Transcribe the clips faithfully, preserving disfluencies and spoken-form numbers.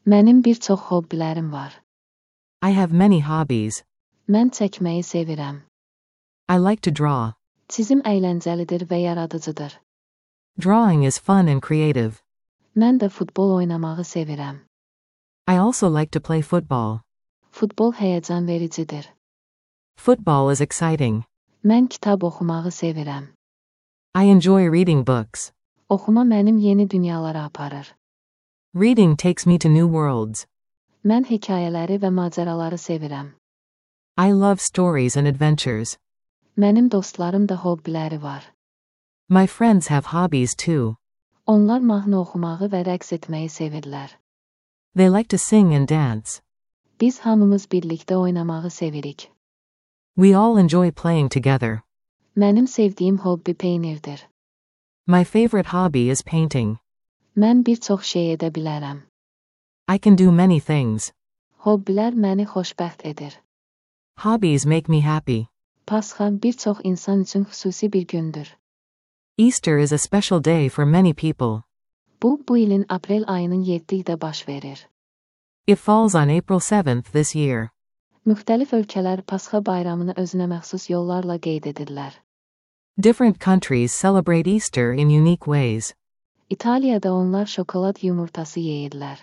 Mənim bir çox hobbilərim var. I have many hobbies. Mən çəkməyi sevirəm. I like to draw. Çizim əyləncəlidir və yaradıcıdır. Drawing is fun and creative. Mən də futbol oynamağı sevirəm. I also like to play football. Futbol həyəcan vericidir. Football is exciting. Mən kitab oxumağı sevirəm. I enjoy reading books. Oxuma mənim yeni dünyalara aparır. Reading takes me to new worlds. Mən hekayələri və macəraları sevirəm. I love stories and adventures. Mənim dostlarım da hobbiləri var. My friends have hobbies too. Onlar mahnı oxumağı və rəqs etməyi sevirlər. They like to sing and dance. Biz hamımız birlikdə oynamağı sevirik. We all enjoy playing together. Mənim sevdiyim hobbi peynirdir. My favorite hobby is painting. Mən bir çox şey edə bilərəm. I can do many things. Hobbilər məni xoşbəxt edir. Hobbies make me happy. Pasxa bir çox insan üçün xüsusi bir gündür. Easter is a special day for many people. Bu, bu ilin aprel ayının yeddidə baş verir. It falls on April seventh this year. Müxtəlif ölkələr Pasxa bayramını özünə məxsus yollarla qeyd edirlər. Different countries celebrate Easter in unique ways. İtaliyada onlar şokolad yumurtası yeyirlər.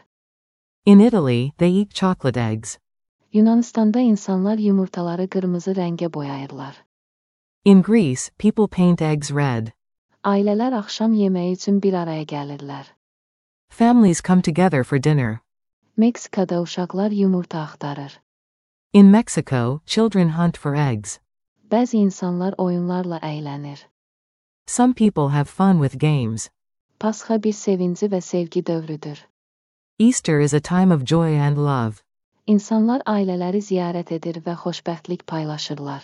In Italy, they eat chocolate eggs. Yunanistanda insanlar yumurtaları qırmızı rəngə boyayırlar. In Greece, people paint eggs red. Ailələr axşam yeməyi üçün bir araya gəlirlər. Families come together for dinner. Meksikada uşaqlar yumurta axtarır. In Mexico, children hunt for eggs. Bəzi insanlar oyunlarla əylənir. Some people have fun with games. Pasxa bir sevinci və sevgi dövrüdür. Easter is a time of joy and love. İnsanlar ailələri ziyarət edir və xoşbəxtlik paylaşırlar.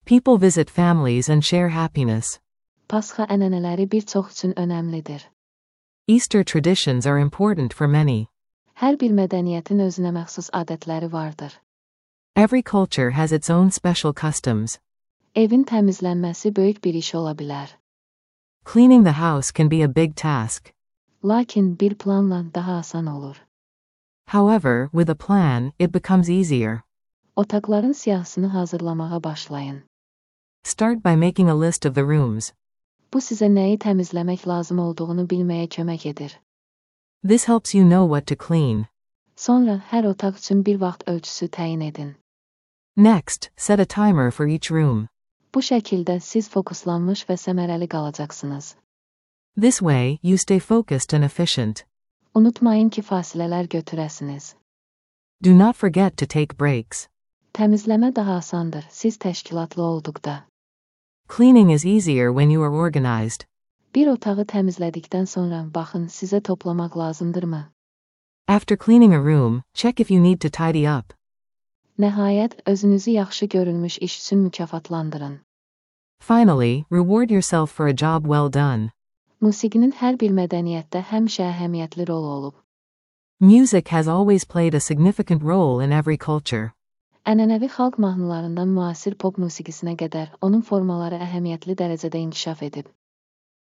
People visit families and share happiness. Pasxa ənənələri bir çox üçün önəmlidir. Easter traditions are important for many. Hər bir mədəniyyətin özünə məxsus adətləri vardır. Every culture has its own special customs. Evin təmizlənməsi böyük bir iş ola bilər. Cleaning the house can be a big task. Lakin bir planla daha asan olur. However, with a plan, it becomes easier. Otaqların siyahısını hazırlamağa başlayın. Start by making a list of the rooms. Bu sizə nəyi təmizləmək lazım olduğunu bilməyə kömək edir. This helps you know what to clean. Sonra hər otaq üçün bir vaxt ölçüsü təyin edin. Next, set a timer for each room. Bu şəkildə siz fokuslanmış və səmərəli qalacaqsınız. This way, you stay focused and efficient. Unutmayın ki fasilələr götürəsiniz. Do not forget to take breaks. Təmizləmə daha asandır, siz təşkilatlı olduqda. Cleaning is easier when you are organized. Bir otağı təmizlədikdən sonra baxın, sizə toplamaq lazımdırmı? After cleaning a room, check if you need to tidy up. Nəhayət, özünüzü yaxşı görülmüş iş üçün mükafatlandırın. Finally, reward yourself for a job well done. Musiqinin hər bir mədəniyyətdə həmişə əhəmiyyətli rol olub. Music has always played a significant role in every culture. Ənənəvi xalq mahnılarından müasir pop musiqisinə qədər onun formaları əhəmiyyətli dərəcədə inkişaf edib.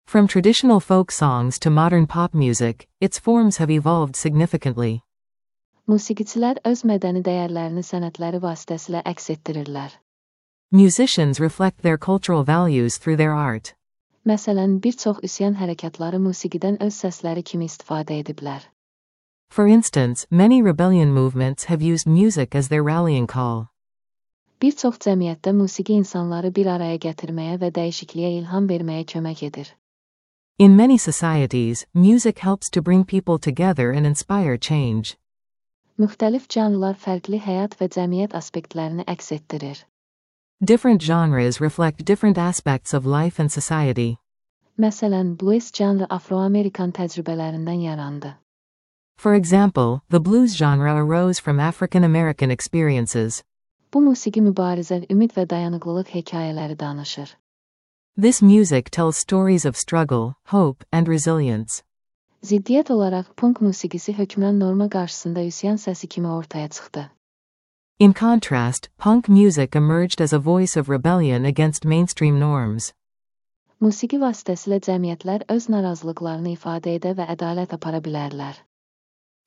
From traditional folk songs to modern pop music, its forms have evolved significantly. Musiqiçilər öz mədəni dəyərlərini sənətləri vasitəsilə əks etdirirlər. Musicians reflect their cultural values through their art. Məsələn, bir çox üsyan hərəkatları musiqidən öz səsləri kimi istifadə ediblər. For instance, many rebellion movements have used music as their rallying call. Bir çox cəmiyyətdə musiqi insanları bir araya gətirməyə və dəyişikliyə ilham verməyə kömək edir. In many societies, music helps to bring people together and inspire change. Müxtəlif janrlar fərqli həyat və cəmiyyət aspektlərini əks etdirir. Different genres reflect different aspects of life and society. Məsələn, blues janrı Afro-Amerikan təcrübələrindən yarandı. For example, the blues genre arose from African American experiences. Bu musiqi mübarizə, ümid və dayanıqlılıq hekayələri danışır. This music tells stories of struggle, hope, and resilience. Ziddiyyət olaraq punk musiqisi hökmran norma qarşısında üsyan səsi kimi ortaya çıxdı. In contrast, punk music emerged as a voice of rebellion against mainstream norms. Musiqi vasitəsilə cəmiyyətlər öz narazılıqlarını ifadə edə və ədalət apara bilərlər.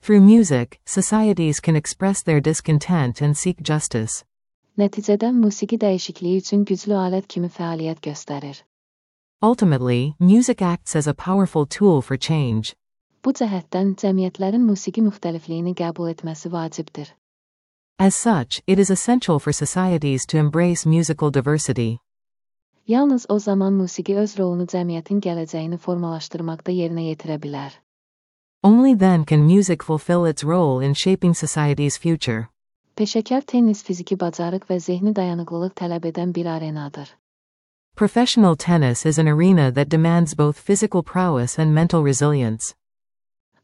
Through music, societies can express their discontent and seek justice. Nəticədə musiqi dəyişikliyi üçün güclü alət kimi fəaliyyət göstərir. Ultimately, music acts as a powerful tool for change. Bu cəhətdən cəmiyyətlərin musiqi müxtəlifliyini qəbul etməsi vacibdir. As such, it is essential for societies to embrace musical diversity. Yalnız o zaman musiqi öz rolunu cəmiyyətin gələcəyini formalaşdırmaqda yerinə yetirə bilər. Only then can music fulfill its role in shaping society's future. Peşəkar tennis fiziki bacarıq və zehni dayanıqlılıq tələb edən bir arenadır. Professional tennis is an arena that demands both physical prowess and mental resilience.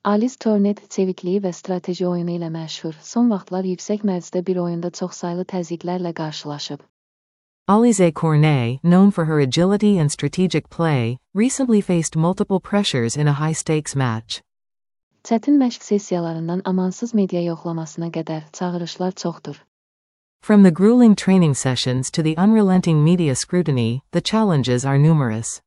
Alice Cornet çevikliyi və strateji oyunu ilə məşhur, son vaxtlar yüksək mərcdə bir oyunda çoxsaylı təzyiqlərlə qarşılaşıb. Alize Cornet, known for her agility and strategic play, recently faced multiple pressures in a high-stakes match. Çətin məşq sessiyalarından amansız media yoxlamasına qədər çağırışlar çoxdur. From the grueling training sessions to the unrelenting media scrutiny, the challenges are numerous.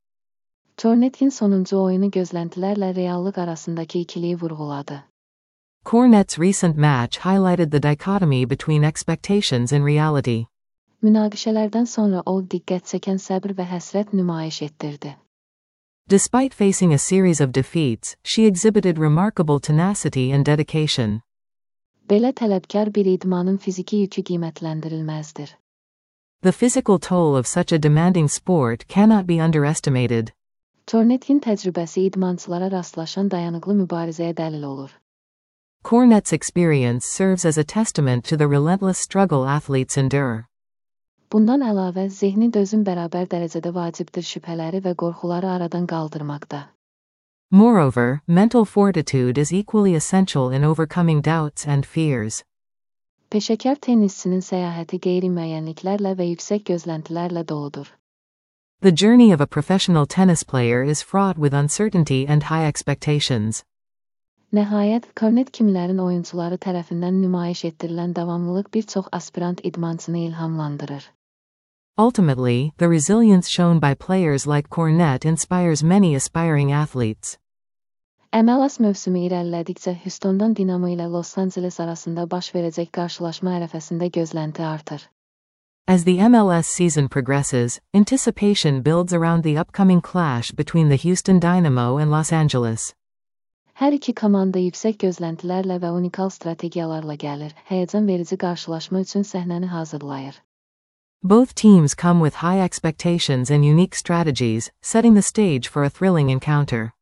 Cornet'in sonuncu oyunu gözləntilərlə reallıq arasındakı ikiliyi vurğuladı. Cornet's recent match highlighted the dichotomy between expectations and reality. Münaqişələrdən sonra o diqqət çəkən səbr və həsrət nümayiş etdirdi. Despite facing a series of defeats, she exhibited remarkable tenacity and dedication. Belə tələbkar bir idmanın fiziki yükü qiymətləndirilməzdir. The physical toll of such a demanding sport cannot be underestimated. Cornet'in təcrübəsi idmançılara rastlaşan dayanıqlı mübarizəyə dəlil olur. Cornet's experience serves as a testament to the relentless struggle athletes endure. Bundan əlavə, zehni dözüm bərabər dərəcədə vacibdir şübhələri və qorxuları aradan qaldırmaqda. Moreover, mental fortitude is equally essential in overcoming doubts and fears. Peşəkar tennisçinin səyahəti qeyri-müəyyənliklərlə və yüksək gözləntilərlə doludur. The journey of a professional tennis player is fraught with uncertainty and high expectations. Nəhayət, Cornet kimilərin oyunçuları tərəfindən nümayiş etdirilən davamlılıq bir çox aspirant idmançını ilhamlandırır. Ultimately, the resilience shown by players like Cornet inspires many aspiring athletes. M L S mövsümü irəlilədikcə Houston'dan Dinamo ilə Los Angeles arasında baş verəcək qarşılaşma ərəfəsində gözlənti artır. As the M L S season progresses, anticipation builds around the upcoming clash between the Houston Dynamo and Los Angeles. Hər iki komanda yüksək gözləntilərlə və unikal strategiyalarla gəlir, həyəcan verici qarşılaşma üçün səhnəni hazırlayır. Both teams come with high expectations and unique strategies, setting the stage for a thrilling encounter.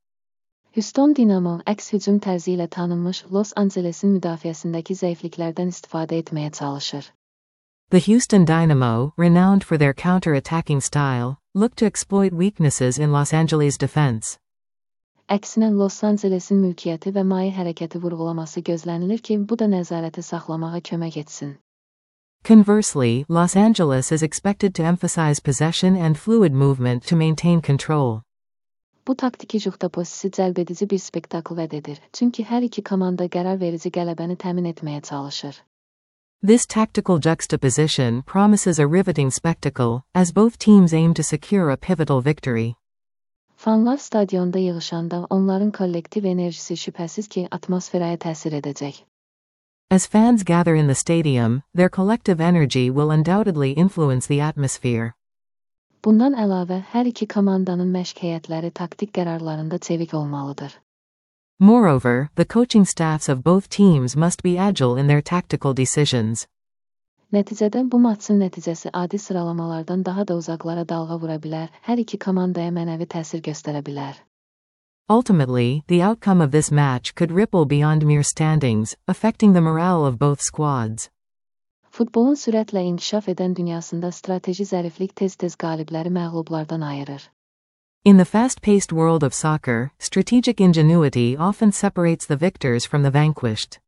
Houston Dinamo, əks hücum tərzi ilə tanınmış Los Angeles'in müdafiəsindəki zəifliklərdən istifadə etməyə çalışır. The Houston Dynamo, renowned for their counter-attacking style, look to exploit weaknesses in Los Angeles' defense. Əksinə Los Angeles'in mülkiyyəti və maye hərəkəti vurğulaması gözlənilir ki, bu da nəzarəti saxlamağa kömək etsin. Conversely, Los Angeles is expected to emphasize possession and fluid movement to maintain control. Bu taktiki juxtaposisi cəlbedici bir spektakl vəd edir, çünki hər iki komanda qərar verici qələbəni təmin etməyə çalışır. This tactical juxtaposition promises a riveting spectacle, as both teams aim to secure a pivotal victory. Fanlar stadionda yığışanda onların kollektiv enerjisi şübhəsiz ki, atmosferaya təsir edəcək. As fans gather in the stadium, their collective energy will undoubtedly influence the atmosphere. Bundan əlavə, hər iki komandanın məşq heyətləri taktik qərarlarında çevik olmalıdır. Moreover, the coaching staffs of both teams must be agile in their tactical decisions. Nəticədə bu maçın nəticəsi adi sıralamalardan daha da uzaqlara dalğa vura bilər, hər iki komandaya mənəvi təsir göstərə bilər. Ultimately, the outcome of this match could ripple beyond mere standings, affecting the morale of both squads. Futbolun sürətlə inkişaf edən dünyasında strateji zəriflik tez-tez qalibləri məğlublardan ayırır. In the fast-paced world of soccer, strategic ingenuity often separates the victors from the vanquished.